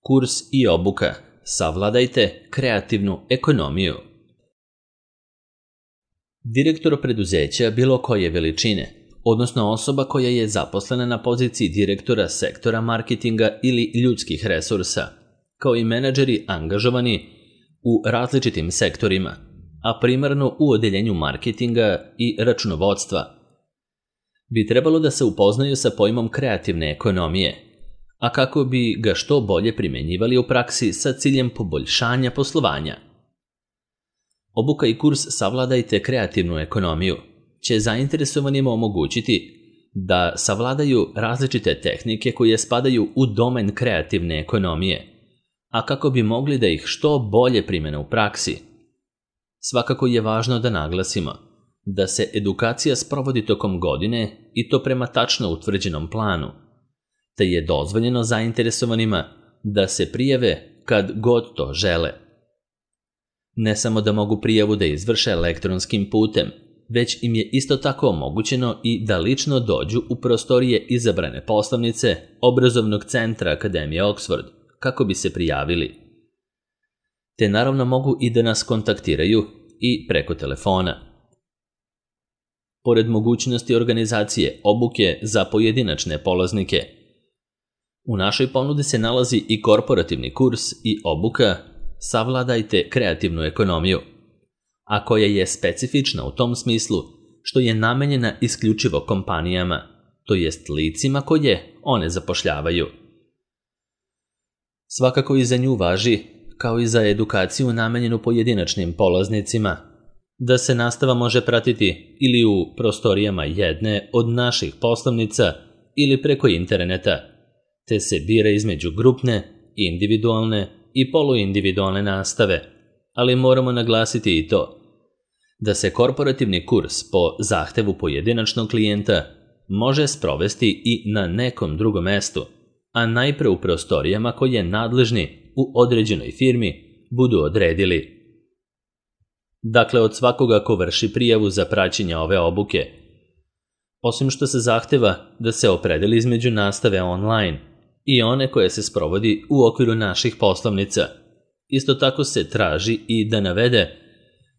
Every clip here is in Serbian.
Kurs i obuka. Savladajte kreativnu ekonomiju. Direktor preduzeća bilo koje veličine, odnosno osoba koja je zaposlena na poziciji direktora sektora marketinga ili ljudskih resursa, kao i menadžeri angažovani u različitim sektorima, a primarno u odeljenju marketinga i računovodstva, bi trebalo da se upoznaju sa pojmom kreativne ekonomije, a kako bi ga što bolje primenjivali u praksi sa ciljem poboljšanja poslovanja. Obuka i kurs Savladajte kreativnu ekonomiju će zainteresovanima omogućiti da savladaju različite tehnike koje spadaju u domen kreativne ekonomije, a kako bi mogli da ih što bolje primene u praksi. Svakako je važno da naglasimo da se edukacija sprovodi tokom godine i to prema tačno utvrđenom planu, te je dozvoljeno zainteresovanima da se prijave kad god to žele. Ne samo da mogu prijavu da izvrše elektronskim putem, već im je isto tako omogućeno i da lično dođu u prostorije izabrane poslovnice Obrazovnog centra Akademije Oxford kako bi se prijavili. Te naravno mogu i da nas kontaktiraju i preko telefona. Pored mogućnosti organizacije obuke za pojedinačne polaznike, u našoj ponudi se nalazi i korporativni kurs i obuka Savladajte kreativnu ekonomiju, a koja je specifična u tom smislu što je namenjena isključivo kompanijama, to jest licima koje one zapošljavaju. Svakako i za nju važi, kao i za edukaciju namenjenu pojedinačnim polaznicima, da se nastava može pratiti ili u prostorijama jedne od naših poslovnica ili preko interneta, te se bira između grupne, individualne i poluindividualne nastave, ali moramo naglasiti i to da se korporativni kurs po zahtevu pojedinačnog klijenta može sprovesti i na nekom drugom mestu, a najpre u prostorijama koje nadležni u određenoj firmi budu odredili. Dakle, od svakoga ko vrši prijavu za praćenje ove obuke, osim što se zahteva da se opredeli između nastave online i one koje se sprovodi u okviru naših poslovnica, isto tako se traži i da navede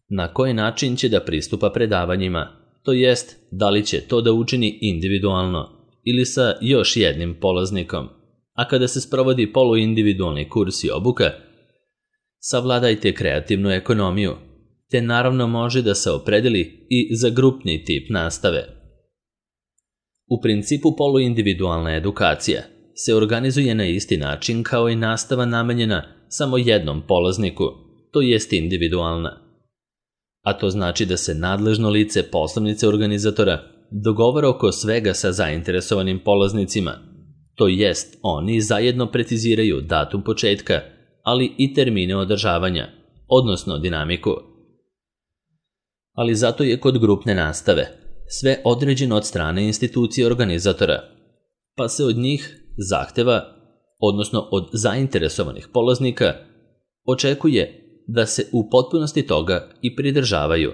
na koji način će da pristupa predavanjima, to jest da li će to da učini individualno ili sa još jednim polaznikom, a kada se sprovodi poluindividualni kurs i obuka, savladajte kreativnu ekonomiju, te naravno može da se opredeli i za grupni tip nastave. U principu poluindividualna edukacija se organizuje na isti način kao i nastava namenjena samo jednom polazniku, to jest individualna. A to znači da se nadležno lice poslovnice organizatora dogovara oko svega sa zainteresovanim polaznicima, to jest oni zajedno preciziraju datum početka, ali i termine održavanja, odnosno dinamiku. Ali zato je kod grupne nastave sve određeno od strane institucije organizatora, pa se od njih zahteva, odnosno od zainteresovanih polaznika, očekuje da se u potpunosti toga i pridržavaju.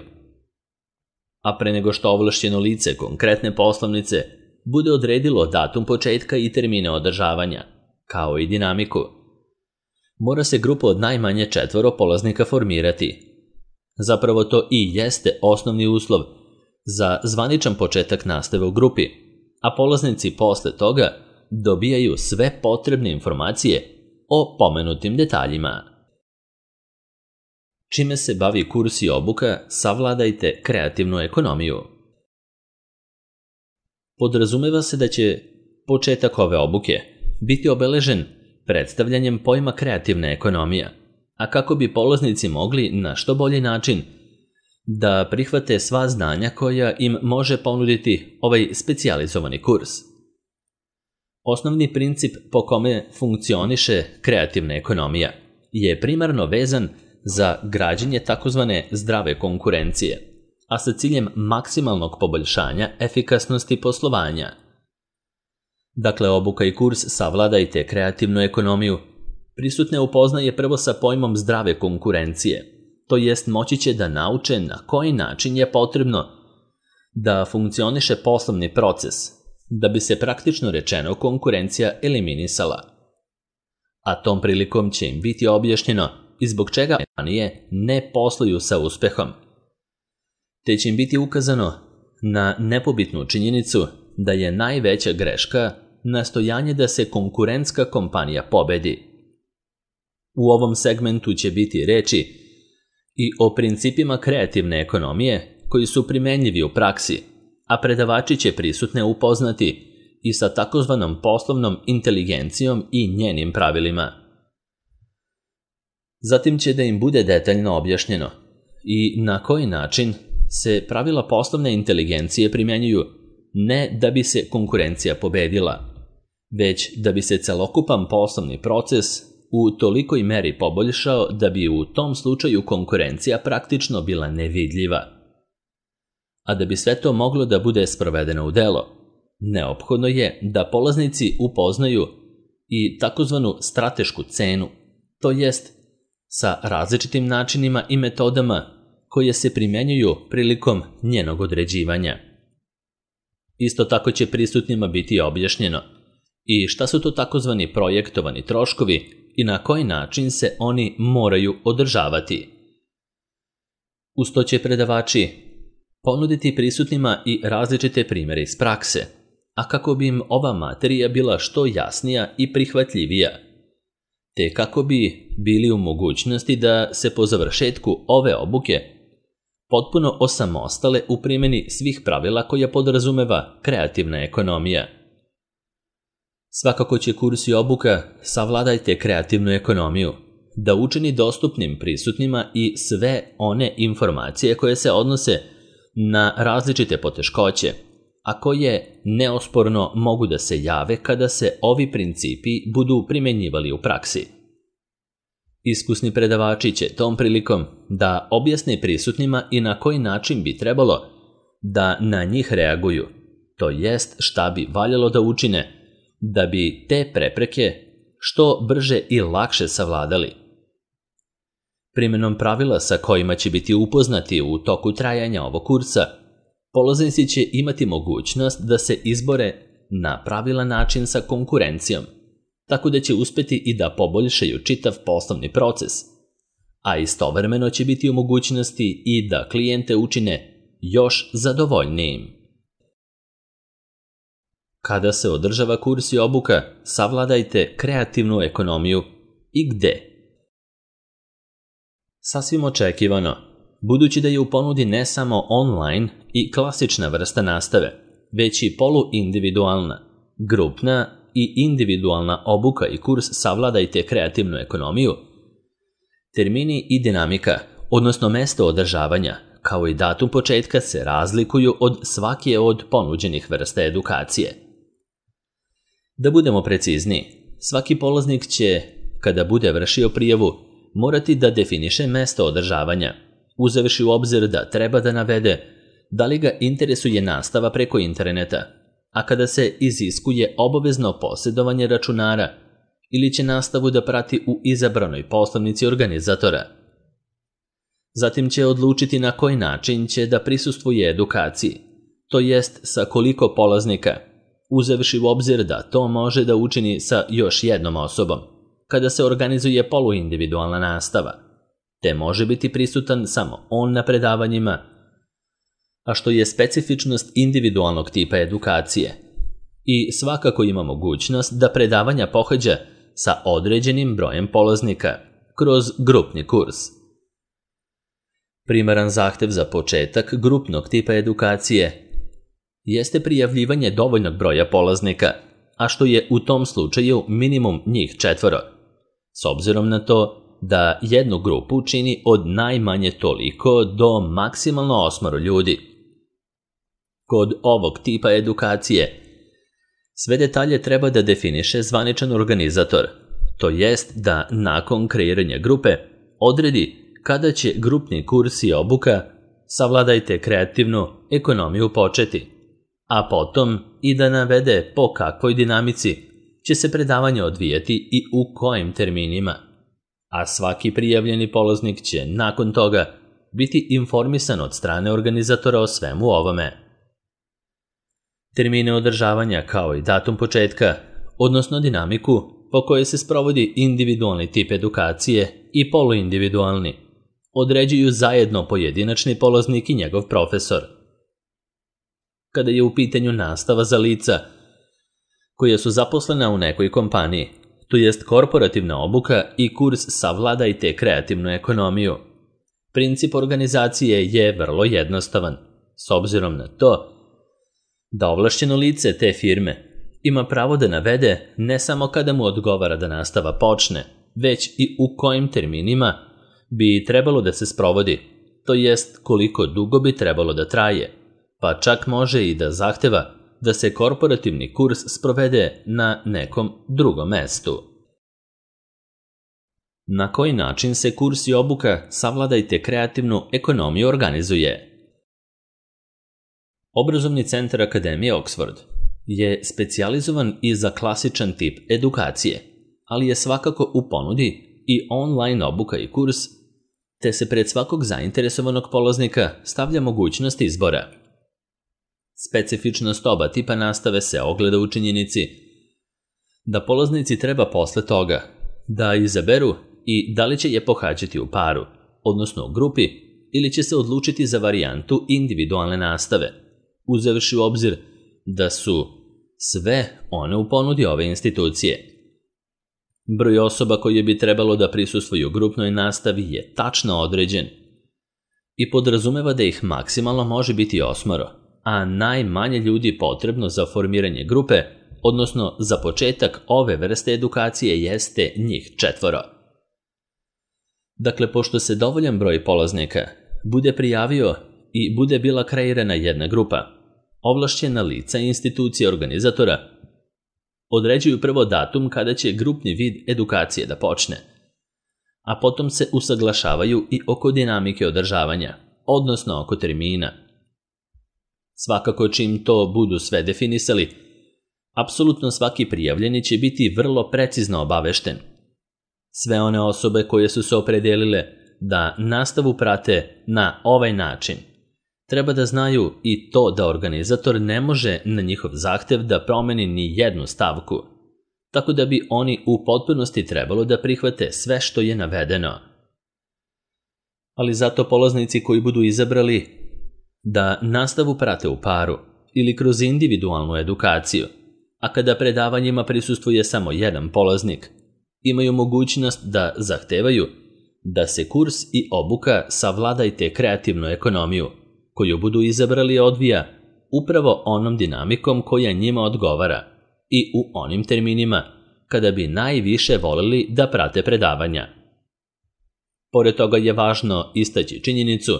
A pre nego što ovlašćeno lice konkretne poslovnice bude odredilo datum početka i termine održavanja, kao i dinamiku, mora se grupa od najmanje 4 polaznika formirati. Zapravo to i jeste osnovni uslov za zvaničan početak nastave u grupi, a polaznici posle toga dobijaju sve potrebne informacije o pomenutim detaljima. Čime se bavi kurs i obuka Savladajte kreativnu ekonomiju? Podrazumeva se da će početak ove obuke biti obeležen predstavljanjem pojma kreativna ekonomija, a kako bi polaznici mogli na što bolji način da prihvate sva znanja koja im može ponuditi ovaj specijalizovani kurs. Osnovni princip po kome funkcioniše kreativna ekonomija je primarno vezan za građenje takozvane zdrave konkurencije, a sa ciljem maksimalnog poboljšanja efikasnosti poslovanja. Dakle, obuka i kurs Savladajte kreativnu ekonomiju prisutne upoznaje prvo sa pojmom zdrave konkurencije, to jest moći će da nauče na koji način je potrebno da funkcioniše poslovni proces, da bi se praktično rečeno konkurencija eliminisala. a tom prilikom će im biti objašnjeno i zbog čega kompanije ne posluju sa uspehom. Te će im biti ukazano na nepobitnu činjenicu da je najveća greška nastojanje da se konkurentska kompanija pobedi. U ovom segmentu će biti reči i o principima kreativne ekonomije koji su primenljivi u praksi, a predavači će prisutne upoznati i sa takozvanom poslovnom inteligencijom i njenim pravilima. Zatim će da im bude detaljno objašnjeno i na koji način se pravila poslovne inteligencije primjenjuju ne da bi se konkurencija pobedila, već da bi se celokupan poslovni proces u tolikoj meri poboljšao da bi u tom slučaju konkurencija praktično bila nevidljiva. A da bi sve to moglo da bude sprovedeno u delo, neophodno je da polaznici upoznaju i takozvanu stratešku cenu, to jest sa različitim načinima i metodama koje se primjenjuju prilikom njenog određivanja. Isto tako će prisutnima biti objašnjeno i šta su to takozvani projektovani troškovi i na koji način se oni moraju održavati. Uz to će predavači ponuditi prisutnima i različite primjere iz prakse, a kako bi im ova materija bila što jasnija i prihvatljivija, te kako bi bili u mogućnosti da se po završetku ove obuke potpuno osamostale u primjeni svih pravila koja podrazumeva kreativna ekonomija. Svakako će kurs i obuka Savladajte kreativnu ekonomiju da učini dostupnim prisutnima i sve one informacije koje se odnose na različite poteškoće, a koje neosporno mogu da se jave kada se ovi principi budu primjenjivali u praksi. Iskusni predavači će tom prilikom da objasne prisutnima i na koji način bi trebalo da na njih reaguju, to jest šta bi valjalo da učine da bi te prepreke što brže i lakše savladali. Primjenom pravila sa kojima će biti upoznati u toku trajanja ovog kursa, polaznici će imati mogućnost da se izbore na pravilan način sa konkurencijom, tako da će uspeti i da poboljšaju čitav poslovni proces, a istovremeno će biti u mogućnosti i da klijente učine još zadovoljnijim. Kada se održava kurs i obuka, savladajte kreativnu ekonomiju i gde? Sasvim očekivano, budući da je u ponudi ne samo online i klasična vrsta nastave, već i poluindividualna, grupna i individualna obuka i kurs Savladajte kreativnu ekonomiju, termini i dinamika, odnosno mesto održavanja, kao i datum početka se razlikuju od svake od ponuđenih vrsta edukacije. Da budemo precizniji, svaki polaznik će, kada bude vršio prijavu, morati da definiše mesto održavanja, uzevši u obzir da treba da navede da li ga interesuje nastava preko interneta, a kada se iziskuje obavezno posjedovanje računara ili će nastavu da prati u izabranoj poslovnici organizatora. Zatim će odlučiti na koji način će da prisustvuje edukaciji, to jest sa koliko polaznika, uzevši u obzir da to može da učini sa još jednom osobom, kada se organizuje poluindividualna nastava, te može biti prisutan samo on na predavanjima, a što je specifičnost individualnog tipa edukacije. I svakako ima mogućnost da predavanja pohađa sa određenim brojem polaznika kroz grupni kurs. Primaran zahtev za početak grupnog tipa edukacije jeste prijavljivanje dovoljnog broja polaznika, a što je u tom slučaju minimum njih 4, s obzirom na to da jednu grupu čini od najmanje toliko do maksimalno 8 ljudi. Kod ovog tipa edukacije sve detalje treba da definiše zvaničan organizator, to jest da nakon kreiranja grupe odredi kada će grupni kurs i obuka Savladajte kreativnu ekonomiju početi, a potom i da navede po kakvoj dinamici će se predavanje odvijati i u kojim terminima, a svaki prijavljeni polaznik će nakon toga biti informisan od strane organizatora o svemu ovome. Termine održavanja kao i datum početka, odnosno dinamiku, po kojoj se sprovodi individualni tip edukacije i poluindividualni, određuju zajedno pojedinačni polaznik i njegov profesor. Kada je u pitanju nastava za lica koja su zaposlena u nekoj kompaniji, to jest korporativna obuka i kurs Savladajte kreativnu ekonomiju, princip organizacije je vrlo jednostavan, s obzirom na to da ovlašćeno lice te firme ima pravo da navede ne samo kada mu odgovara da nastava počne, već i u kojim terminima bi trebalo da se sprovodi, to jest koliko dugo bi trebalo da traje, pa čak može i da zahteva da se korporativni kurs sprovede na nekom drugom mestu. Na koji način se kurs i obuka Savladajte kreativnu ekonomiju organizuje? Obrazovni centar Akademije Oxford je specijalizovan i za klasičan tip edukacije, ali je svakako u ponudi i online obuka i kurs, te se pred svakog zainteresovanog polaznika stavlja mogućnost izbora. Specifičnost oba tipa nastave se ogleda u činjenici da polaznici treba posle toga da izaberu i da li će je pohađati u paru, odnosno u grupi, ili će se odlučiti za varijantu individualne nastave, uzevši u obzir da su sve one u ponudi ove institucije. Broj osoba koje bi trebalo da prisustvuju grupnoj nastavi je tačno određen i podrazumeva da ih maksimalno može biti 8, a najmanje ljudi potrebno za formiranje grupe, odnosno za početak ove vrste edukacije jeste njih 4. Dakle, pošto se dovoljan broj polaznika bude prijavio i bude bila kreirana jedna grupa, ovlašćena lica i institucije organizatora određuju prvo datum kada će grupni vid edukacije da počne, a potom se usaglašavaju i oko dinamike održavanja, odnosno oko termina. Svakako čim to budu sve definisali, apsolutno svaki prijavljeni će biti vrlo precizno obavešten. Sve one osobe koje su se opredelile da nastavu prate na ovaj način treba da znaju i to da organizator ne može na njihov zahtev da promeni ni jednu stavku, tako da bi oni u potpunosti trebalo da prihvate sve što je navedeno. Ali zato polaznici koji budu izabrali da nastavu prate u paru ili kroz individualnu edukaciju, a kada predavanjima prisustvuje samo jedan polaznik, imaju mogućnost da zahtevaju da se kurs i obuka Savladajte kreativnu ekonomiju koju budu izabrali odvija upravo onom dinamikom koja njima odgovara i u onim terminima kada bi najviše voleli da prate predavanja. Pored toga je važno istaći činjenicu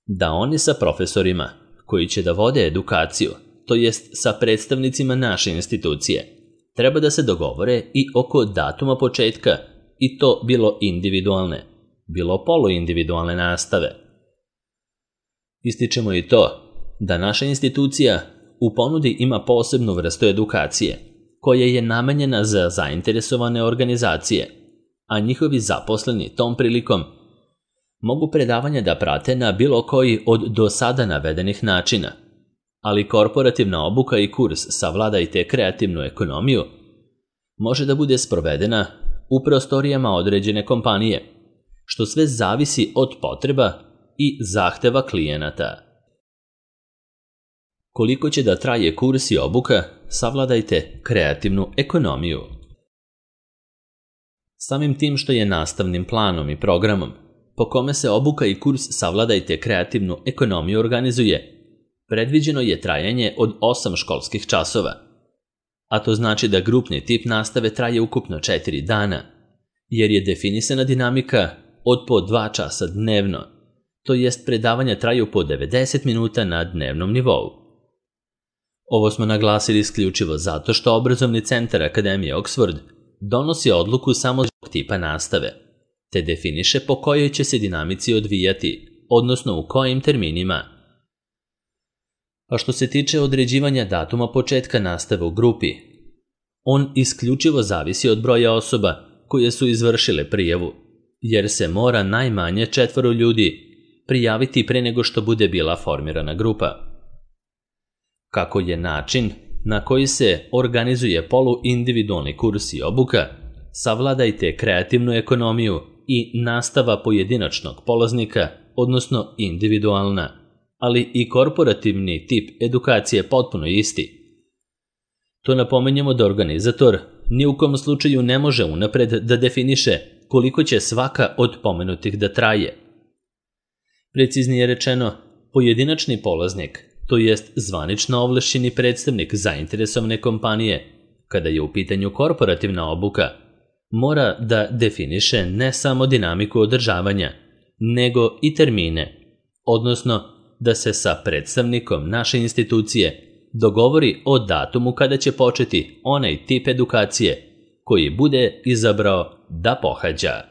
da oni sa profesorima koji će da vode edukaciju, to jest sa predstavnicima naše institucije, treba da se dogovore i oko datuma početka, i to bilo individualne, bilo poluindividualne nastave. Ističemo i to da naša institucija u ponudi ima posebnu vrstu edukacije, koja je namenjena za zainteresovane organizacije, a njihovi zaposleni tom prilikom mogu predavanja da prate na bilo koji od do sada navedenih načina, ali korporativna obuka i kurs Savladajte kreativnu ekonomiju može da bude sprovedena u prostorijama određene kompanije, što sve zavisi od potreba i zahteva klijenata. Koliko će da traje kurs i obuka Savladajte kreativnu ekonomiju? Samim tim što je nastavnim planom i programom po kome se obuka i kurs Savladajte kreativnu ekonomiju organizuje, predviđeno je trajanje od 8 školskih časova, a to znači da grupni tip nastave traje ukupno 4 dana, jer je definisana dinamika od po 2 časa dnevno, to jest predavanja traju po 90 minuta na dnevnom nivou. Ovo smo naglasili isključivo zato što Obrazovni centar Akademije Oxford donosi odluku samo zbog tipa nastave, te definiše po kojoj će se dinamici odvijati, odnosno u kojim terminima. A što se tiče određivanja datuma početka nastave u grupi, on isključivo zavisi od broja osoba koje su izvršile prijavu, jer se mora najmanje 4 ljudi prijaviti pre nego što bude bila formirana grupa. Kako je način na koji se organizuje poluindividualni kurs i obuka, savladajte kreativnu ekonomiju i nastava pojedinačnog polaznika, odnosno individualna, ali i korporativni tip edukacije je potpuno isti. To napominjemo da organizator ni u kom slučaju ne može unapred da definiše koliko će svaka od pomenutih da traje. Preciznije rečeno, pojedinačni polaznik, to jest zvanično ovlašćeni predstavnik zainteresovane kompanije, kada je u pitanju korporativna obuka, mora da definiše ne samo dinamiku održavanja, nego i termine, odnosno da se sa predstavnikom naše institucije dogovori o datumu kada će početi onaj tip edukacije koji bude izabrao da pohađa.